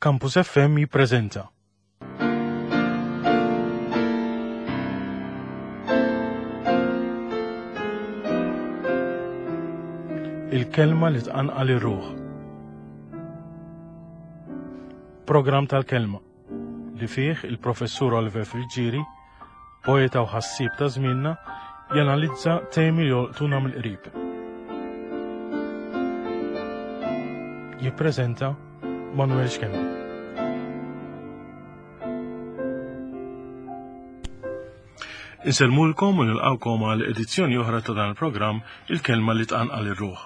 Campus FM jippreżenta. Il-kelma li tqanqal ir-ruħ. Programm tal-kelma li fih il-professur Oliver Friggieri, poeta u ħassieb ta' żmienna, janalizza temi li jolqtuna mill-qrib. Jippreżenta Manuel Schembri. Insellmulkom u nilqawkom għal edizzjoni oħra ta' dan il-programm Il-Kelma li tqanqal ir-ruħ.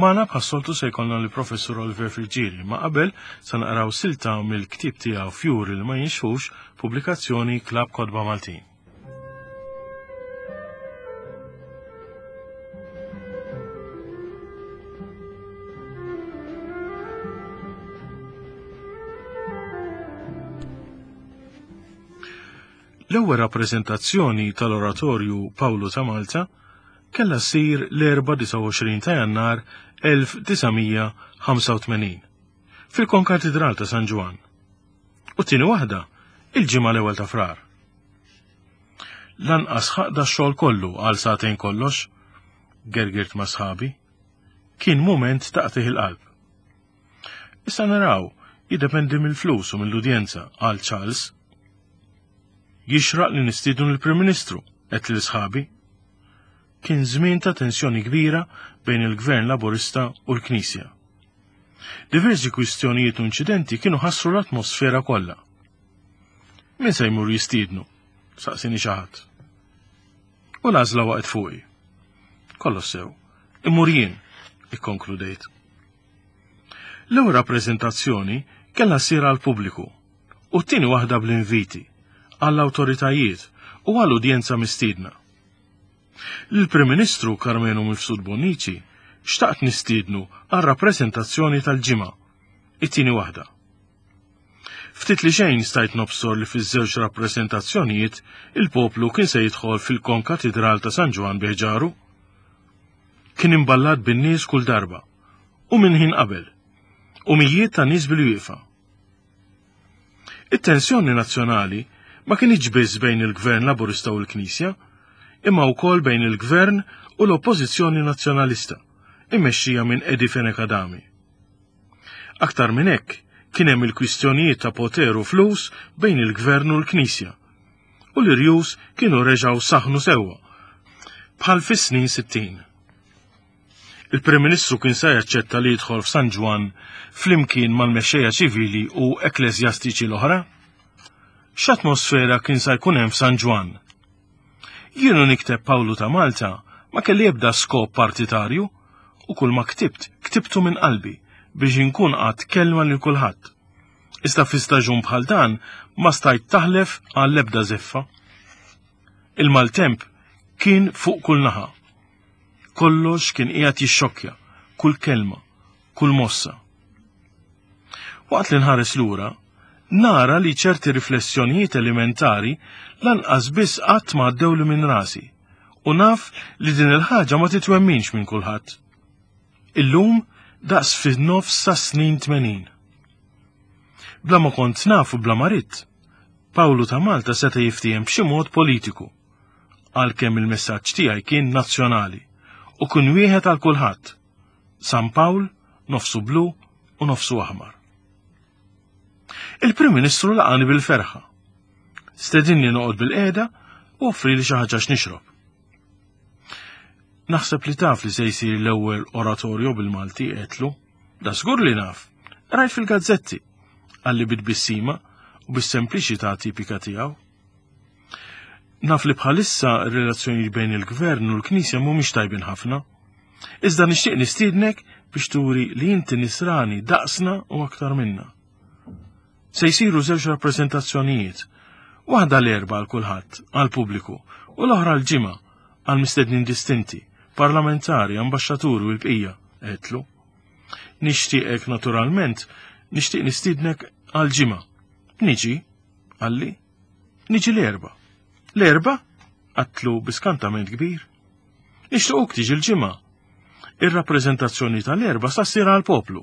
Magħna bħas-soltu se jkollna li Professur Oliver Friggieri, ma qabel se naqraw silta mill-ktieb tiegħu Fjuri li ma jinxfux, pubblikazzjoni Klabb Kotba Maltin. L-ewwel rappreżentazzjoni tal-Oratorju Pawlu ta' Malta kellha ssir l-Erbgħa 29 ta' Jannar 1985 fil-Konkatidral ta' San Ġwann u t-tieni waħda il-Ġimgħa l-ewwel ta' Frar. Lanqas ħaqq dax-xogħol kollu għal sagħtejn kollox, gergirt ma' sħabi. Kien mument ta' qtigħ il-qalb. Issa naraw, jiddependi mill-flus u mill-udjenza, qal Charles. Jixraq li nistiednu lill-Prim Ministru, għedt lil sħabi. Kien żmien ta' tensjoni kbira bejn il-Gvern Laburista u l-Knisja. Diversi kwistjonijiet u inċidenti kienu ħassru l-atmosfera kollha. Min se jmur jistiednu? Saqsini xi ħadd. U l-għażla waqgħet fuqi. Kollox sew. Immur jien, ikkonkludejt. L-ewwel rappreżentazzjoni kellha ssir għall-pubbliku u t-tieni waħda bl-inviti, għall-awtoritajiet u għal udjenza mistiedna. Lill-Prim Ministru Karmenu Mifsud Bonnici xtaqt nistiednu għar-rappreżentazzjoni tal-Ġimgħa, it-tieni waħda. Ftit li xejn stajt nobsor li fiż-żewġ rappreżentazzjonijiet il-poplu kien se jidħol fil-Konkatidral ta' San Ġwann bi ħġaru. Kien imballat bin-nies kull darba u minn ħin qabel, u mijiet ta' nies bil-wieqfa. It-tensjoni nazzjonali ma kinitx biss bejn il-Gvern Laburista u l-Knisja, imma wkoll bejn il-Gvern u l-Oppożizzjoni Nazzjonalista, immexxija minn Eddie Fenech Adami. Aktar minn hekk, kien hemm il-kwistjonijiet ta' poter u flus bejn il-Gvern u l-Knisja. U l-irjus kienu reġgħu saħnu sewwa, bħal fis-snin 60. Il-Prim Ministru kien se jaċċetta li jidħol f'San Ġwann flimkien mal-mexxejja ċivili u ekkleżjastiċi l-oħra? X'atmosfera kien sa jkun hemm f'San Ġwann? Jien u nikteb Pawlu ta' Malta ma kelli ebda skop partitarju u kull ma ktibt, ktibtu minn qalbi biex inkun għadt kelma lil kulħadd. Iżda fi staġun bħal dan ma stajt taħlef għall-ebda żeffa. Il-maltemp kien fuq kull naħa. Kollox kien qiegħed jixxokkja, kull kelma, kull mossa. Waqt li nħares lura, nara li ċerti riflessjonijiet elementari lanqas biss qatt ma għaddewli minn rasi u naf li din il-ħaġa ma titwemminx minn kulħadd. Illum daqs fin-nofs sa snin 80. Bla ma kont naf u bla ma ridt, Pawlu ta' Malta seta' jiftiehem b'xi mod politiku, għalkemm il-messaġġ tiegħi kien nazzjonali u kien wieħed għal kulħadd. San Pawl, nofsu blu u nofsu aħmar. Il-Prim Ministru laqani bil-ferħa. Stedinni noqgħod bil-qiegħda u offri li xi ħaġa x'nixrob. Naħseb li taf li se jsir l-ewwel oratorju bil-Malti għedtlu. Da żgur li naf. Rajt fil-gazzetti. Qalli bit-tbissima u bis-sempliċità tipika tiegħu. Naf li bħalissa r-relazzjonijiet bejn il-gvern u l-Knisja mhumiex tajbin ħafna. Iżda nixtieq nistiednek biex turi li inti nisrani daqsna u aktar minna. Se jsiru żewġ rappreżentazzjonijiet, waħda l-erba għal kulħadd, għal pubbliku, u l-oħra l-ġimgħa għal mistednin distinti, parlamentari, ambaxxaturi u l-bqija, għedtlu. Nixtieqek naturalment, nixtieq nistiednek għal ġimgħa. Niġi, qalli. Niġi l-erba. L-erba? Għatlu biskantament kbir. Nixtiequk tiġi l-ġimgħa. Ir-rappreżentazzjoni tal-erba sa ssir għall-poplu.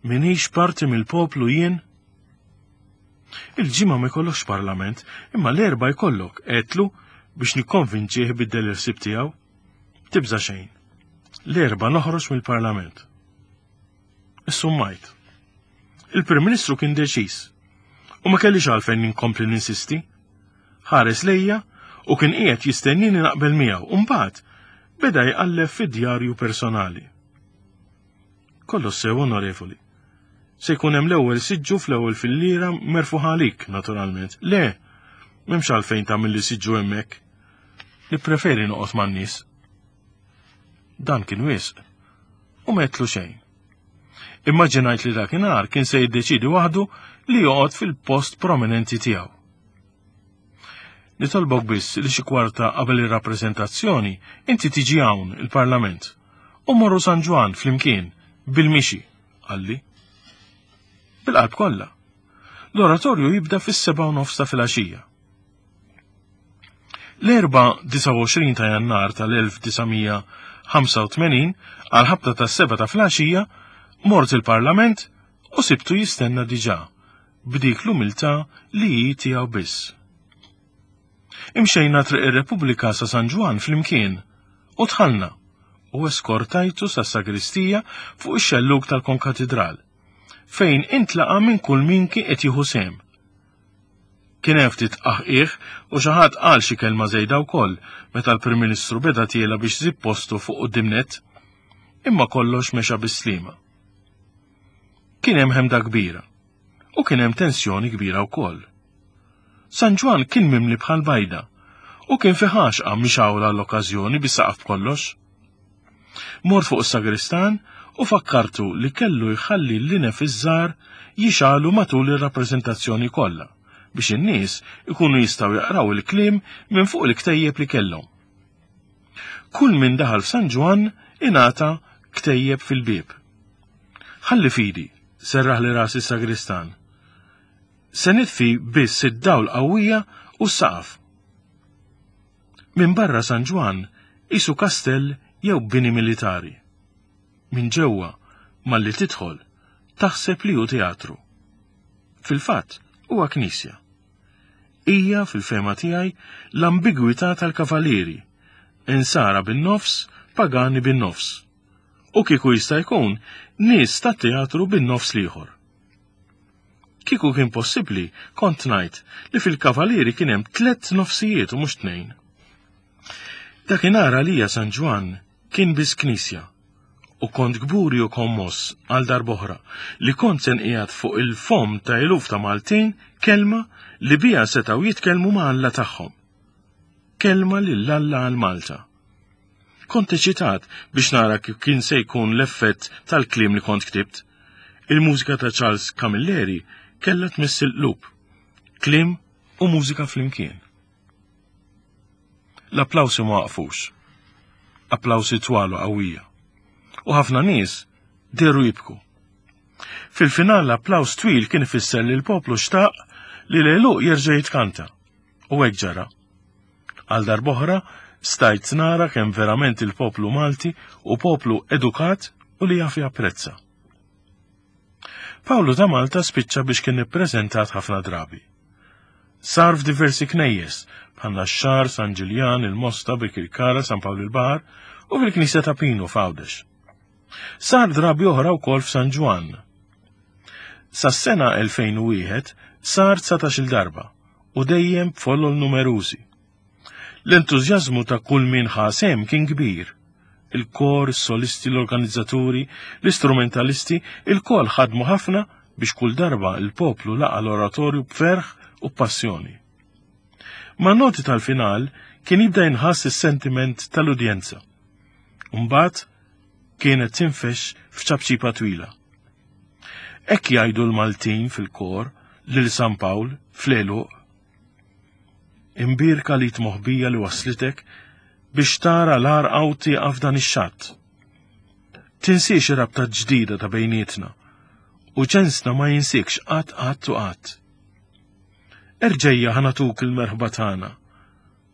Minix parti mill-poplu jien? Il-ġimgħa ma jkollokx parlament, imma l-erba' jkollok, għedtlu biex nikkonvinċih biddel il-ħsieb tiegħu. Tibża' xejn. L-erba' noħroġ mill-parlament. Issummajt. Il-Prim Ministru kien deċiż. U ma kellix għalfejn ninkompli ninsisti. Ħares lejja u kien qiegħed jistennini naqbel miegħu u mbagħad beda jqalleb fid-djarju personali. Kollox sew, onorevoli. Se jkun hemm l-ewwel siġġu fl-ewwel filliera merfuħ għalik, naturalment. Le, m'hemmx għalfejn tagħmel li siġġu hemmhekk. Nippreferi noqgħod man-nies. Dan kien wisq. U m'għedtlu xejn. Immaġinajt li dakinhar kien se jiddeċidi waħdu li joqgħod fil-post prominenti tiegħu. Nitolbok biss li xi kwarta qabel ir-rappreżentazzjoni inti tiġi hawn il-Parlament u morru San Ġwann flimkien bil-mixi, qalli. Bil-qalb kollha. L-oratorju jibda fis-seba' u nofs ta' filgħaxija. L-Erbgħa 29 ta' Jannar tal-1985 għal ħabta tas-seba' ta' filgħaxija mort il-Parlament u sibtu jistenna diġà b'dik l-umiltà li hi tiegħu biss. Imxejna Triq ir-Repubblika sa San Ġwann flimkien u dħalna u eskortajtu sas-sagristija fuq ix-xellug tal-Konkatidral fejn intlaqa' minn kull min kien qed jieħu sehem. Kien hemm ftit tqaħqiħ u xi ħadd qal xi kelma żejda wkoll meta l-Prim Ministru beda tiela biex żib postu fuq quddiem nett. Imma kollox mexa bis-sliema. Kien hemm ħemda kbira u kien hemm tensjoni kbira wkoll. San Ġwann kien mimli bħal bajda u kien fi ħaxqa mixgħula l-okkażjoni bis-saqaf b'kollox. Mort fuq is-sagristan u fakkartu li kellu jħalli l-linef iż-żgħar jixgħalu matul ir-rappreżentazzjoni kollha biex in-nies ikunu jistgħu jaqraw il-kliem minn fuq il-ktejjeb li kellhom. Kull min daħal f'San Ġwann ingħata ktejjeb fil-bieb. Ħalli fidi, serraħli rasi s-sagristan. Se nitfi biss id-dawl qawwija u s-saqaf. Minn barra San Ġwann qisu kastell jew bini militari. Minn ġewwa, malli tidħol, taħseb li hu teatru. Fil-fatt, huwa knisja. Hija, fil-fehma tiegħi, l-ambigwità tal-kavalieri, insara bin-nofs, pagani bin-nofs. U kieku jista' jkun, nies tat-teatru bin-nofs l-ieħor. Kieku kien possibbli, kont ngħid li fil-Kavalieri kien hemm tlett nofsijiet u mhux tnejn. Dakinhar għalija San Ġwann kien biss knisja u kont kburi u kommoss għal darb'oħra li kont se nqiegħed fuq il-fomm ta' eluf ta' Maltin kelma li biha setgħu jitkellmu ma' Alla tagħhom. Kelma lil Alla għal Malta. Kont eċitat biex nara kif kien se jkun l-effett tal-kliem li kont ktibt. Il-mużika ta' Charles Camilleri kellha tmiss il-qlub. Kliem u mużika flimkien. L-applawsi ma waqfux. Applawsi twal u qawwija. U ħafna nies dehru jibku. Fil-final l-applaws twil kien ifisser li l-poplu xtaq li l-għeluq jerġa' jitkanta. U hekk ġara. Għal darb'oħra stajt nara kemm verament il-poplu Malti u poplu edukat u li jaf japprezza. Pawlu ta' Malta spiċċa biex kien ippreżentat ħafna drabi. Sar f'diversi knejjes, bħal Naxxar, San Ġiljan, il-Mosta, Birkirkara, San Pawl il-Baħar u fil-Knisja ta' Pinu f'Għawdex. Sar drabi oħra wkoll f'San Ġwann. Sas-sena 2001 sar 19-il darba u dejjem b'folol numerużi. L-entużjażmu ta' kull min ħa sehem kien kbir. Il-kor, is-solisti, l-organizzaturi, l-istrumentalisti, ilkoll ħadmu ħafna biex kull darba l-poplu laqa' l-oratorju b'ferħ u b'passjoni. Man-noti tal-final kien jibda jinħass is-sentiment tal-udjenza. Mbagħad kienet tinfex f'ċapċipa twila. Hekk jgħidu l-Maltin fil-kor lil San Pawl fl-għeluq. Imbierka li moħbija li waslitek biex tara l-għarqa u tieqaf dan ix-xatt. Tinsiex ir-rabta ġdida ta' bejnietna u ġensna ma jinsikx qatt qatt u qatt. Erġejja ħanatuk il-merħba tagħna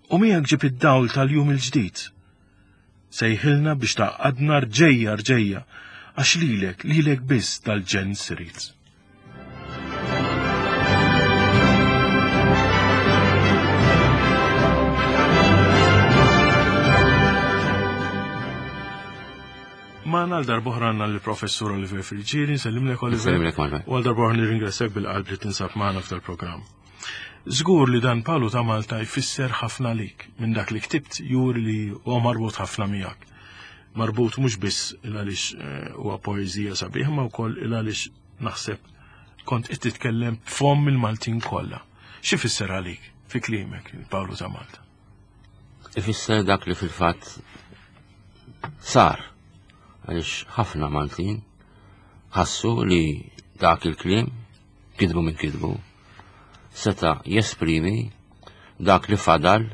u miegħek ġib id-dawl tal-jum il-ġdid. Sejħilna biex tgħaqqadna rġejja rġejja. Għax lilek, lilek biss dal-ġens irid. Magħna għal darb'oħra għandna l-Professur Oliver Friggieri, nsellimlek Oliver. Nsellimlek Manuel. U għal darb'oħra nirringrazzjak bil-qalb li tinsab magħna f'dal-programm. Żgur li dan Palu ta' Malta jfisser ħafna lik minn dak li ktibt juri li huwa marbut ħafna miegħek. Marbut mhux biss il għaliex eh, huwa poeżija sabiħ ma wkoll il għaliex naħseb kont qed titkellem b'fomm il-Maltin kollha. Xi fisser għalik fi kliemek il-Pawlu ta' Malta? Ifisser dak li fil-fatt sar għaliex ħafna Maltin ħassu li dak il-kliem kidbu minn kidbu seta jesprimi dak li fadal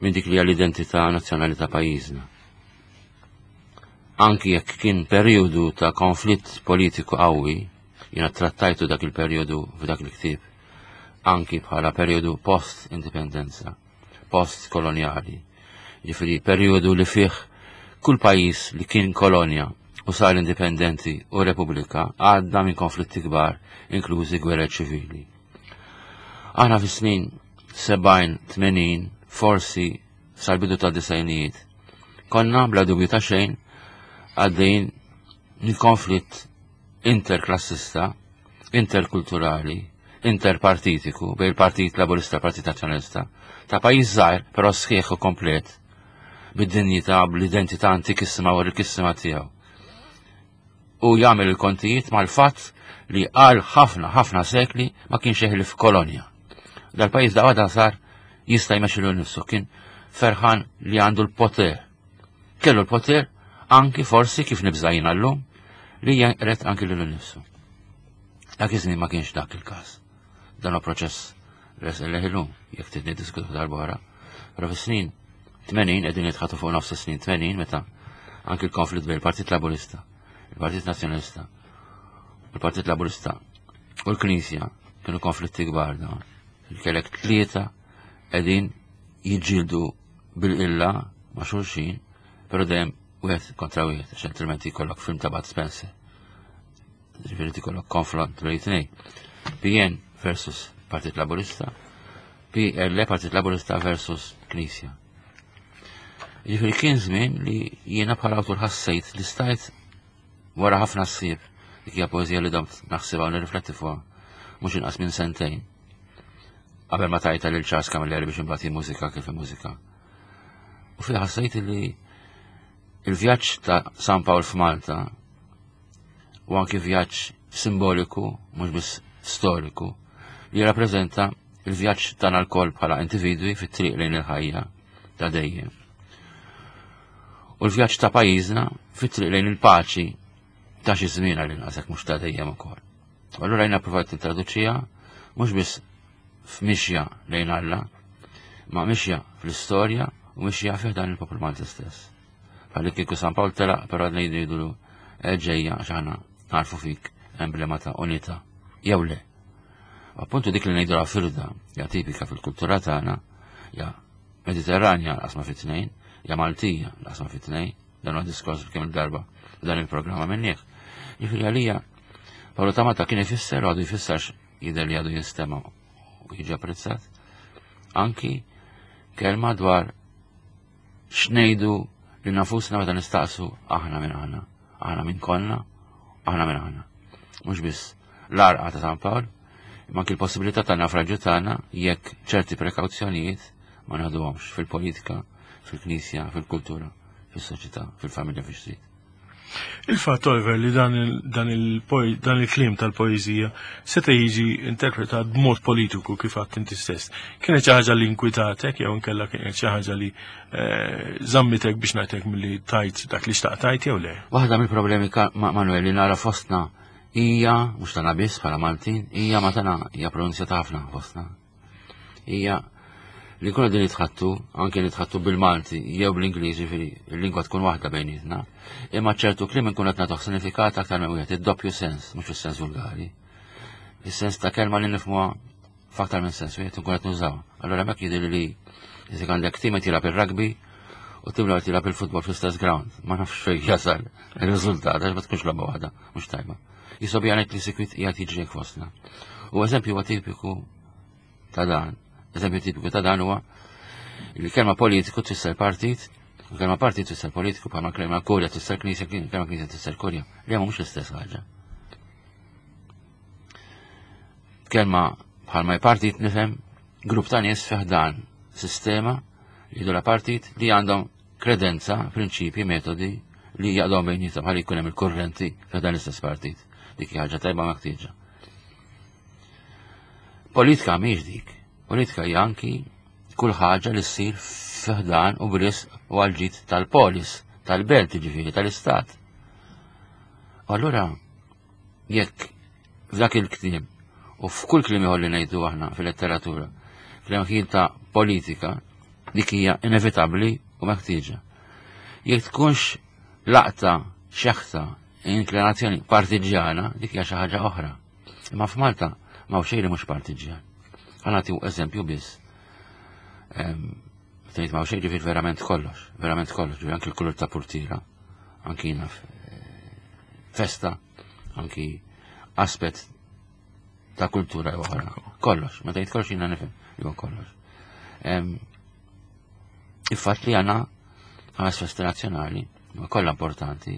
minn dik li hija l-identità nazzjonali ta' pajjiżna. Anki jekk kien perjodu ta' konflitt politiku qawwi, jiena trattajtu dak il-perjodu f'dak il-ktieb, anki bħala perjodu post-indipendenza, post-kolonjali. Ġifieri perjodu li fih kull pajjiż li kien kolonja u sar indipendenti u repubblika għadda minn konflitti kbar, inklużi gwerer ċivili. Aħna fis-snin 70, 80, forsi sal-bidu ta' disajnijiet. Konna bla dubju ta' xejn għaddejn minn konflitt interklassista, interkulturali, interpartitiku bejn il-Partit Laburista u Partit Nazzjonalista ta' pajjiż żgħir però sħiħ u komplet bid-dinjità bl-identità antikissima u rikissima tiegħu. U jagħmel il-kontijiet mal-fatt li għal ħafna ħafna sekli ma kienx jeħlif kolonja. Dal-pajjiż da għada sar jista' jmexxi lil nifsu kien ferħan li għandu l-poter. Kellu l-poter anki forsi kif nibża' jiena llum li jeqret anki lilu nnifsu. Dak iż-żmien ma kienx dak il-każ. Dan huwa proċess resq leħ illum, jekk trid niddiskutu darb'oħra. Però fis-snin 80 qegħdin nitħatu fuq nofs is-snin 80 meta anki l-konflitt bejn il-Partit Laburista, il-Partit Nazzjonalista, il-Partit Laburista u l-Knisja kienu konflitti kbar dawn. Kellek tlieta qegħdin jiġġieldu bil-qilla ma' xulxin, però dejjem wieħed kontra wieħed, għax altrimenti jkollok film ta' Bud Spencer. Ġifieri tikollok konfront bejn tnejn. PN versus Partit Laburista, PL Partit Laburista versus Knisja. Ġifieri kien żmien li jiena bħala awtur ħassejt li stajt wara ħafna ssib dik hija poeżija li domt naħsibha u nirrifletti fuqha mhux inqas minn sentejn. Qabel ma tajta lil Charles Camilleri biex imbagħad mużika kif mużika. U fi ħassejt li il-vjaġġ ta' San Pawl f'Malta u anki vjaġġ simboliku, mhux biss storiku, li jirrappreżenta il-vjaġġ tagħna lkoll bħala individwi fit-triq lejn il-ħajja ta' dejjem. U l-vjaġġ ta' pajjiżna fit-triq lejn il-paċi ta' xi żmien għal inqas jekk mhux ta' dejjem ukoll. U allura jiena provajt nintraduċiha mhux biss f'mixja lejn Alla, ma mixja fl-istorja u mixja fih dan il-poplu Malti stess. Bħalli kieku San Pawl telaq però għadna jgħidulu eh, ġejja għax aħna narfu fik emblema ta' unità. Jew le. Appuntu dik li ngħidu la firda, ja tipika fil-kultura tagħna, ja Mediterranja l-qasma fit-tnejn, ja Maltija l-qasma fit-tnejn, dan huwa diskors kemm il-darba dan il-programma minnieh. Jiġifieri għalija Paolo Tamata kien ifisser u għadu jfisser jidher li għadu jinstema' u jiġi apprezzat. Anki kelma dwar x'ngħidu li nafusna meta nistaqsu aħna minn aħna, aħna minn konna, aħna minn aħna. Mhux biss l-arqa ta' San Pawl, imma anki l-possibilità ta' nafraġu tagħna jekk ċerti prekawzjonijiet ma naħduhomx fil-politika, fil-knisja, fil-kultura, fis-soċjetà, fil-familja, fix-trid. Il-fatt, Oliver, li dan il-kliem tal-poeżija seta' jiġi interpretat b'mod politiku kif għadt inti stess. Kienet xi ħaġa li inkwitatek jew inkella kienet xi ħaġa li eh, żammitek biex ngħidlek milli tajt dak li xtaqt tajt jew le? Waħda mill-problemi Manuel li nara fostna hija mhux tagħna biss bħala Maltin, hija ma tagħna hija pronunzjata ħafna fostna. Hija li nkunu din nitħattu, anke nitħattu bil-Malti jew bl-Ingliż, ġifieri il-lingwa tkun waħda bejnietna, imma ċertu kliem inkun qed nagħtuh sinifikat aktar minn wieħed, id-doppju sens, mhux is-sens vulgari. Is-sens ta' kelma li nifhmuha f'aktar minn sens wieħed inkun qed nużaw. Allura hemmhekk jidhirli li jekk għandek tim qed jilgħab ir-rugby U tim li tilgħab il-futbol fl-istess ground, ma nafx fejn jasal ir-riżultat għax ma tkunx logħba waħda, mhux tajba. Jisob jgħid li sikwit qiegħed jiġri fostna. U eżempju huwa tipiku ta' dan. Eżempju tipiku ta' dan huwa li kelma politiku tfisser partit, u kelma partit tfisser politiku bħalma kelma kurja tfisser knisja, kelma knisja tfisser kurja. Li mhux l-istess ħaġa. Kelma bħalma partit nifhem grupp ta' nies fiħdan sistema li jidula partit li għandhom kredenza, prinċipji, metodi li jaqdhom bejnietom ħalli jkun hemm il-kurrenti f'dan l-istess partit. Dik hija ħaġa tajba meħtieġa. Politika mhix dik. Politika hija anki kull ħaġa li ssir fiħdan u bris u għal-ġid tal-polis, tal-belt ġifieri tal-istat. Allura, jekk f'dak il-ktieb u f'kull kliem ieħor li ngħidu aħna fil-letteratura, kliem ta' politika, dik hija inevitabbli u meħtieġa. Jekk tkunx laqta, xeħta, inklinazzjoni partiġjana, dik hija xi ħaġa oħra. Imma f'Malta ma xejn li mhux partiġjan. Ħa nagħti eżempju biss. Tgħid ma xejn ġifier verament kollox, verament kollox, ġifier anki l-kulur ta' purtira, anki naf eh, festa, anki aspett ta' kultura oħra. Kollox, ma tgħid kollox jiena nifhem li huwa kollox. Il-fatt li għandna ħames festi nazzjonali, ma kollha importanti,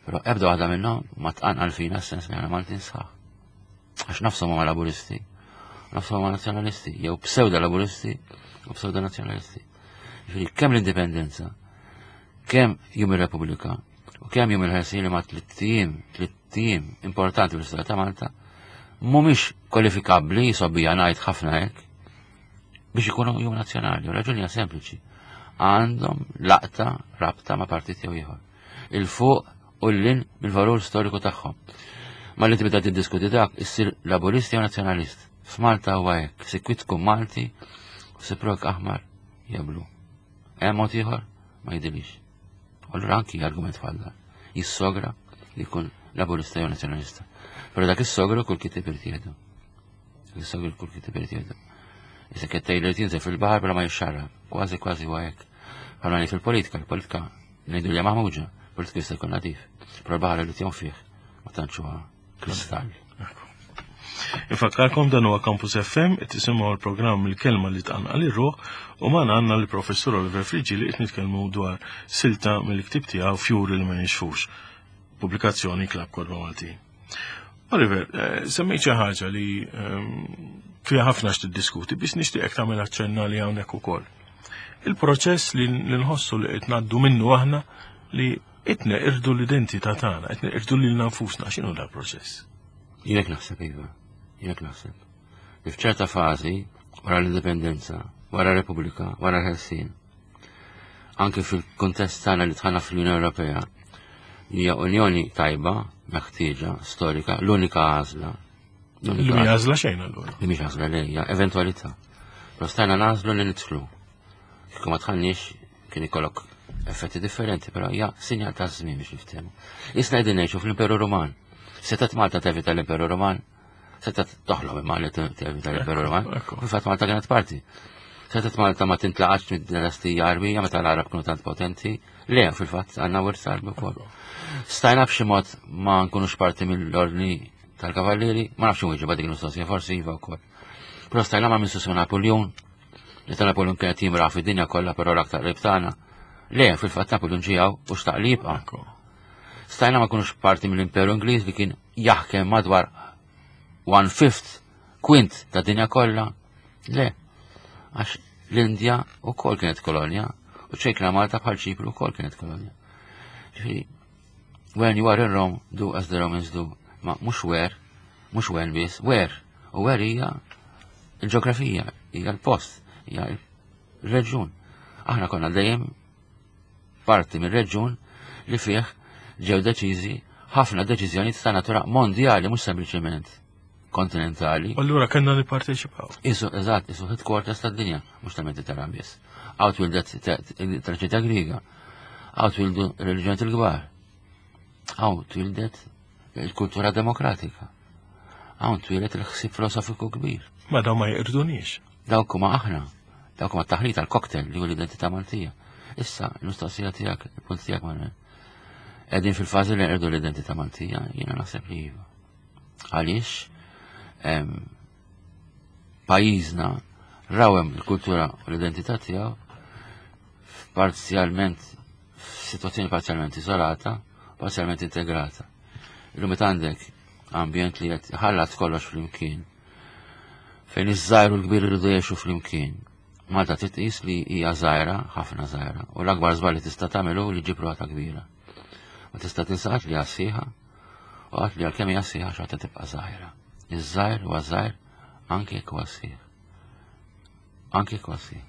però ebda waħda minnhom ma tqanqal fina s-sens li għandna Maltin sħaħ. Għax nafshom huma laburisti, nafshom huma nazzjonalisti, jew pseudo laburisti u pseudo nazzjonalisti. Ġifieri kemm l-indipendenza, kemm jum ir-Repubblika u kemm jum il-ħelsin li ma tlitt tlitt importanti fl-istorja ta' Malta, mhumiex kwalifikabbli jisobbija ngħid ħafna hekk biex ikunu jum nazzjonali. U raġuni hija sempliċi. Għandhom laqta rabta ma' partit jew ieħor. Il-fuq u l-lin mill-valur storiku tagħhom. Ma li tibda tiddiskuti dak, issir laburist jew nazzjonalist. F'Malta huwa hekk, sikwit tkun Malti u siprok aħmar jew blu. Hemm mod ieħor ma jidhirlix. Allura anki argument bħal dan jissogra li jkun laburista jew nazzjonalista. Però dak is-sogru kull kitib irid jieħdu. Is-sogru kull kitib irid jieħdu. Issa qed tgħid jinżel fil-baħar bla ma jixxarrab. Kważi kważi huwa hekk. Bħalma ngħid fil-politika, il-politika ngħidu li maħmuġa, politika jista' jkun nadif. Però l-baħar irid jgħum fih, ma tantx huwa kristall. Infakkarkom dan huwa Campus FM qed tisimgħu l-programm il-kelma li tqanqal ir-ruħ u magħna għandna l-Professur Oliver Friggi li qed nitkellmu dwar silta mill-ktieb tiegħu Fjuri li ma jinxfux. Pubblikazzjoni Klab Korba Maltin. Oliver, eh, semmejt xi ħaġa li ehm, fiha ħafna x'tiddiskuti biex nixtieqek tagħmel aċċenna li hawnhekk ukoll. Il-proċess li nħossu li qed ngħaddu minnu aħna li qed neqirdu l-identità tagħna, qed neqirdu lilna nfusna, x'inhu dal-proċess? Jien naħseb iva, jien naħseb. Li f'ċerta fażi wara l-indipendenza, wara r-Repubblika, wara l-Ħelsien, anke fil-kuntest tagħna li tħanna fl-Unjoni Ewropea, li hija unjoni tajba, meħtieġa, storika, l-unika għażla. Li mhi għażla xejn allura. Li mhix għażla li hija eventwalità. Però stajna nagħżlu li nidħlu. Kieku ma tħallniex kien ikollok effetti differenti, però hija sinjal ta' żmien biex niftehmu. Isna qegħdin ngħixu fl-Imperu Ruman. Setat Malta tevita l-Imperu Ruman, setat toħlom imma li tevita l-Imperu Ruman. Fil-fatt Malta kienet parti. Setat Malta ma tintlaqax mid-dinastija Arbija meta l-Arab kienu tant potenti. Le, fil-fatt għandna wirt Arbi wkoll. Stajna b'xi mod ma nkunux parti mill-ordni tal-kavallieri, ma nafx inwieġeb dik il-mistoqsija, forsi iva wkoll. Però stajna ma minn Napoleon, Meta Napoleon kien qed jimraħ fid-dinja kollha però l-aktar qrib tagħna. Le, fil-fatt Napoleon ġie hawn u xtaq li jibqa'. Stajna ma kunux parti mill-Imperu Ingliż li kien jaħkem madwar one fifth kwint ta' dinja kollha. Le, għax l-Indja wkoll kienet kolonja u ċejkna Malta bħal Ċipru wkoll kienet kolonja. Ġifieri, when you are in Rome, do as the Romans do. Ma mhux where, mhux when biss, where. U where hija il-ġeografija, hija l-post, hija l-reġjun. Aħna konna dejjem parti mir-reġjun li fih ġew deċiżi ħafna deċiżjonijiet ta' natura mondjali mhux sempliċement kontinentali. Allura kellna nipparteċipaw. Isu, eżatt, isu headquarters tad-dinja, mhux tal-Mediterran biss. Għaw twildet traċita Griega, għaw twildu reliġjonijiet il-kbar. Għaw twildet il-kultura demokratika. Hawn twieled il-ħsieb filosofiku kbir. Ma daw ma jiqirduniex. Dawk huma aħna. Dawk huma taħlit tal-cocktail li hu l-identità Maltija. Issa, l-mistoqsija tiegħek, il-punt tiegħek Manuel. Qegħdin fil-fażi li nqerdu l-identità Maltija, jiena naħseb li iva. Għaliex pajjiżna rawem il-kultura u l-identità tiegħu parzjalment f'sitwazzjoni parzjalment iżolata, parzjalment integrata. Illum meta għandek ambjent li qed ħallat kollox flimkien, fejn iż-żgħir u l-kbir iridu jgħixu flimkien. Malta titqis li hija żgħira, ħafna żgħira, u l-akbar żball li tista' tagħmel hu li ġib ruħha kbira. Ma tista' tinsaqat li għassieħa u għat li għalkemm hija sħiħa xorta tibqa' żgħira. Iż-żgħir huwa żgħir anke jekk huwa sħiħ. Anke jekk huwa sħiħ.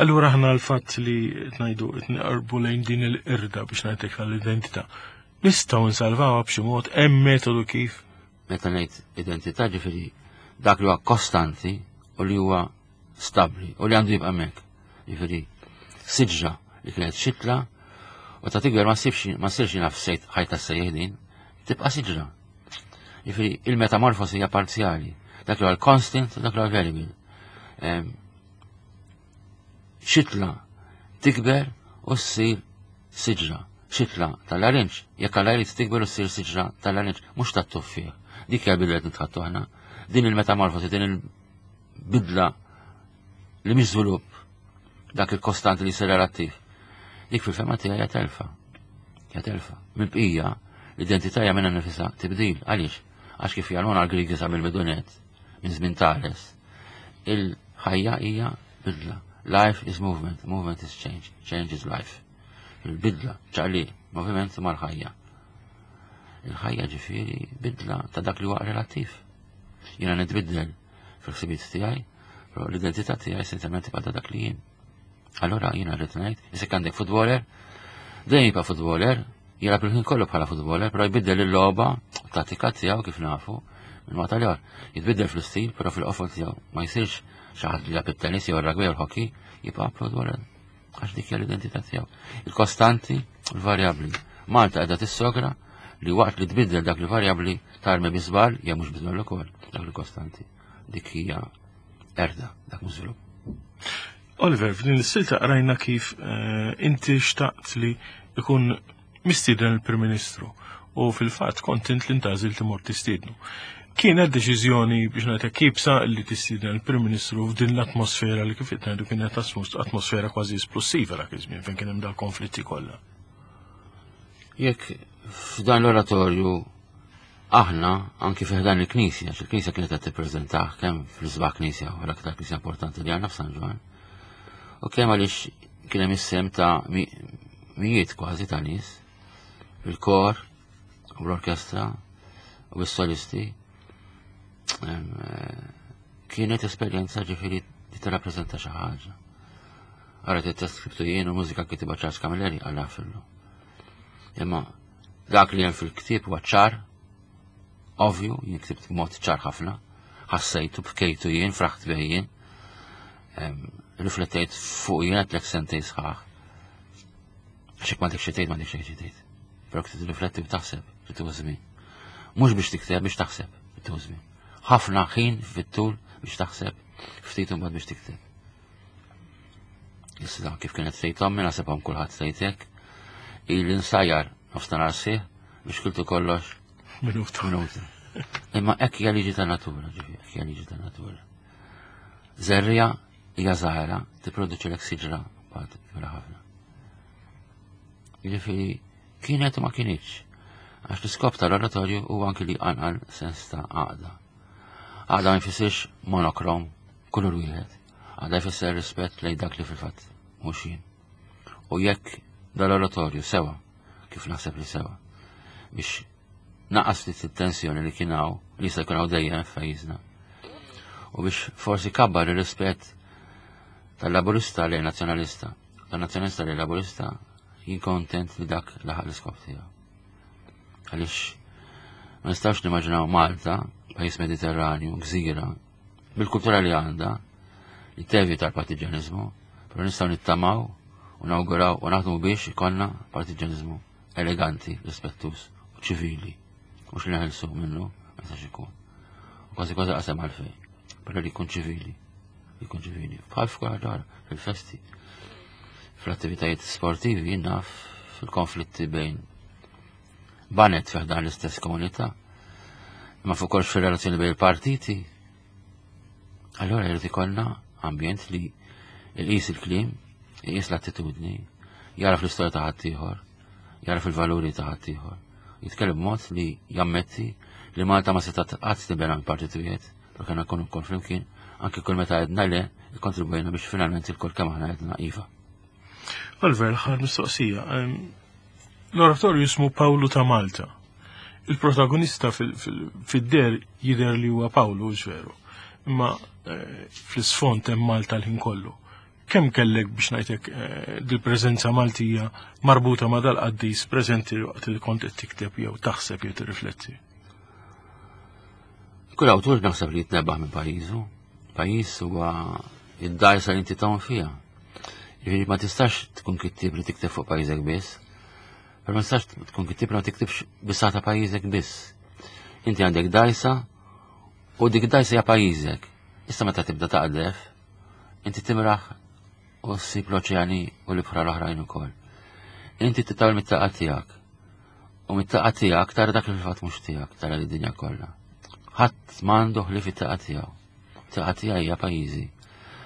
Allura aħna l-fatt li ngħidu qed nqarbu lejn din il-qirda biex ngħidlek tal-identità. Nistgħu nsalvawha b'xi mod hemm metodu kif? Meta ngħid identità ġifieri dak li huwa kostanti u li huwa stabbli u li għandu jibqa' hemmhekk. Jiġifieri siġra li kienet xitla u ta' tikber ma ssibx ma ssirx naf sejt ħajta sejjeħ din, tibqa' siġra. Jiġifieri il-metamorfosi hija parzjali, dak li huwa l-constant u dak li huwa variable. Xitla tikber u ssir siġra. Xitla tal-arinġ, jekk Alla jrid tikber u ssir siġra tal-arinġ, mhux tat-tuffieħ. Dik hija bidla qed nitħattu aħna. Din il-metamorfosi, din il-bidla li mhix żvilupp dak il-kostanti li jsir relattiv. Dik fil-fema tiegħi hija telfa. Hija telfa. Mill-bqija, l-identità hija minnha nifisha tibdil. Għaliex? Għax kif jgħalmuna l-Grigi sa mill-bidunet, minn żmien Tales, il-ħajja hija bidla. Life is movement, movement is change, change is life. Il-bidla, ċaqli, moviment mal-ħajja. Il-ħajja ġifieri bidla ta' dak li huwa relattiv. Jiena nitbiddel fil-ħsibiet tiegħi, però l-identità tiegħi essenzjalment tibqa' ta' dak li jien. Allura jiena rrid ngħid, isek għandek futboler, dejjem jibqa' futboler, jilgħab il-ħin kollu bħala futboler, però jbiddel il-logħba tattika tiegħu kif nafu minn waqt għal Jitbiddel fl-istil, però fil-qofol tiegħu ma jsirx xi ħadd li jilgħab it-tennis jew ir-rugby jew l-hockey, jibqa' futboler. Għax dik hija l-identità tiegħu. Il-kostanti u l-varjabbli. Malta qiegħda tissogra li waqt li tbiddel dak li varjabbli tarmi bi żball jew mhux bi żball ukoll dak li kostanti. Dik hija erda dak mhux żvilupp. Oliver, f'din is-silta qrajna kif eh, inti xtaqt li ikun mistieden il-Prim Ministru u fil-fatt kont int li ntażil timur tistiednu. Kienet deċiżjoni biex ngħidlek kibsa li tistieden il-Prim Ministru f'din l-atmosfera li kif qed ngħidu kienet atmosfera kważi esplossiva dak iż-żmien fejn kien hemm dal-konflitti kollha. Jekk f'dan l-oratorju aħna anki fi dan il-knisja, għax il-knisja kienet qed tippreżentah kemm fl-isbaħ knisja u l-aktar knisja importanti li għandna f'San Ġwann. U kemm għaliex kien hemm is-sem ta' mijiet kważi ta' nies, il-kor u l-orkestra u s-solisti. Eh, kienet esperjenza ġifieri li tirrappreżenta xi ħaġa. Għara t-test skriptu jien u mużika kitiba Charles Camilleri għal fillu. Imma dak li hemm fil-ktieb huwa ċar, ovvju, jien ktibt b'mod ċar ħafna, ħassejtu, bkejtu jien, fraħt bih jien, riflettejt fuq jien għetlek sentej sħaħ. Għax jekk m'għandek xi tgħid, m'għandek xejn xi tgħid. Però kif tirrifletti u taħseb li tieħu żmien. Mhux biex tikteb, biex taħseb li tieħu żmien. Ħafna ħin fit-tul biex taħseb, ftit imbagħad biex tikteb. Issa kif kienet tgħid ommi naħseb hawn kulħadd tgħid hekk. Ili nsajjar nofstanhar sħiħ biex kiltu kollox minuta. Minuta. Imma hekk hija liġi ta' natura, ġifieri, hekk hija liġi ta' natura. Żerrija hija żgħira tipproduċi lek siġra bad kbira ħafna. Jiġifieri kienet u ma kinitx. Għax l-iskop tal-oratorju huwa anki li jqanqal sens ta' għaqda. Għaqda ma jfissirx monokrom, kulur wieħed. Għaqda jfisser rispett lejn dak li fil-fatt mhux jien. U jekk dal-oratorju sewa, kif naħseb li sewa, biex naqas ftit it-tensjoni li kien hawn, li jista' jkun hawn dejjem f'pajjiżna. U biex forsi kabbar ir-rispett tal-laburista lejn nazzjonalista, tan-nazzjonalista lejn laburista, jien kontent li dak laħaq l-iskop tiegħu. Għaliex ma nistax nimmaġinaw Malta, pajjiż Mediterranju, gżira, bil-kultura li għandha, li tevita l-partiġjaniżmu, però nistgħu nittamaw u nawguraw u naħdmu biex ikollna partiġjaniżmu eleganti, rispettuż u ċivili. Mhux li neħilsu minnu, ma jistax ikun. U kważi kważi qasem għalfejn, però li jkun ċivili, li jkun ċivili. Bħal f'kull ħaġa fil-festi. Fl-attivitajiet sportivi jien naf fil-konflitti bejn banet fi ħdan l-istess komunità, imma fuq kollox fir-relazzjoni bejn il-partiti. Allora jrid ikollna ambjent li jqis il-kliem, jqis l-attitudni, jaraf l-istorja ta' ħaddieħor, jaraf il-valuri ta' ħaddieħor. Jitkellem b'mod li jammetti li Malta ma setgħet qatt tibena minn partit wieħed, però kellna nkunu wkoll flimkien, anke kull meta għedna le, ikkontribwejna biex finalment il-kol kemm aħna għedna iva. Oliver, l-aħħar mistoqsija. L-oratorju jismu Pawlu ta' Malta. Il-protagonista fid-der jidher li huwa Pawlu, veru. Imma eh, fl-isfond hemm Malta l-ħin kollu. Kemm kellek biex ngħidlek eh, dil-preżenza Maltija marbuta ma' dal-qaddis preżenti waqt li kont qed tikteb jew taħseb jew tirrifletti? Kull awtur naħseb li jitnebaħ minn pajjiżu. Pajjiż huwa id-dajsa li inti tgħum fiha. Jiġifieri ma tistax tkun kittib li tikteb fuq pajjiżek biss. Però ma tistax tkun kittib li ma tiktibx biss ta' pajjiżek biss. Inti għandek dajsa u dik dajsa hija pajjiżek. Issa meta tibda taqdef, inti timraħ u ssib l-oċeani u l-ibħra l-oħrajn ukoll. Inti titawel mit-taqa tiegħek. U mit-taqa tiegħek tara dak li fil-fatt mhux tiegħek, tara lid-dinja kollha. Ħadd m'għandu ħlief it-taqa tiegħu. Taqa tiegħi hija pajjiżi.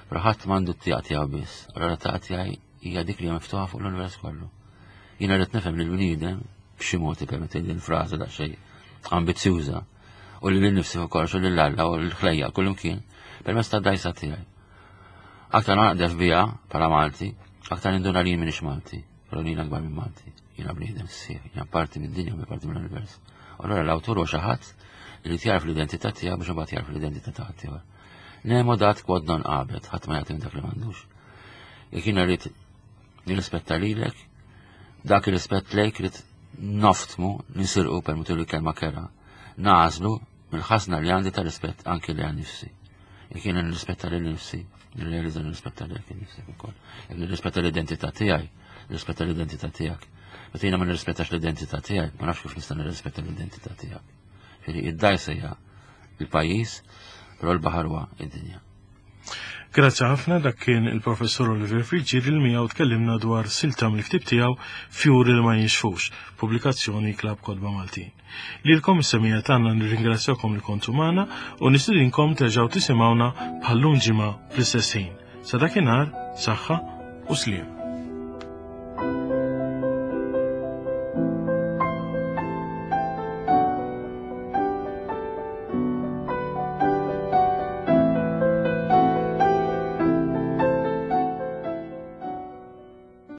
Però ħadd m'għandu t-tieqa tiegħu biss. Allura taqa tiegħi hija dik li hija miftuħa fuq l-univers kollu. Jiena rrid nifhem li l-bniedem b'xi mod ippermetti din frażi daqsxejn ambizzjuża u li lil-nifsi fuq kollox u lil Alla u l-ħlejja kullimkien permezz tad-dajsa tiegħi. Aktar ma naqdef biha bħala Malti, aktar ninduna li jien m'iniex Malti, però li jien akbar minn Malti. Jiena bniedem sħiħ, jiena parti mid-dinja u parti mill-univers. Allura l-awtur huwa xi ħadd li jagħraf l-identità tiegħu biex imbagħad jagħraf l-identità ta' ħaddieħor. Nemo dat quod non habet, ħadd ma jagħti dak li m'għandux. Jekk jiena rrid nirrispetta lilek, dak ir-rispett lejk rrid noftmu, nisirqu permettu li kelma kera, nagħżlu mill-ħasna li għandi ta' rispett anki li għan nifsi. Jekk jiena nirrispetta lil nifsi, nirrealizza nirrispetta lilek nifsek ukoll. Jekk nirrispetta l-identità tiegħi, nirrispetta l-identità tiegħek. Meta jiena ma nirrispettax l-identità tiegħi, ma nafx kif nista' nirrispetta l-identità tiegħek. Ġifieri id-dajsa hija il-pajjiż, però l-baħar huwa id-dinja. Grazzi ħafna dak kien il-Professur Oliver Friggieri li miegħu tkellimna dwar silta mill-ktieb tiegħu Fjuri li ma jinxfux, pubblikazzjoni Klabb Kotba Maltin. Lilkom is-semija tagħna nirringrazzjakom li kontu magħna u nistidinkom terġgħu tisimgħuna bħal-lum ġimgħa fl-istess ħin. Sa dakinhar, saħħa u sliem.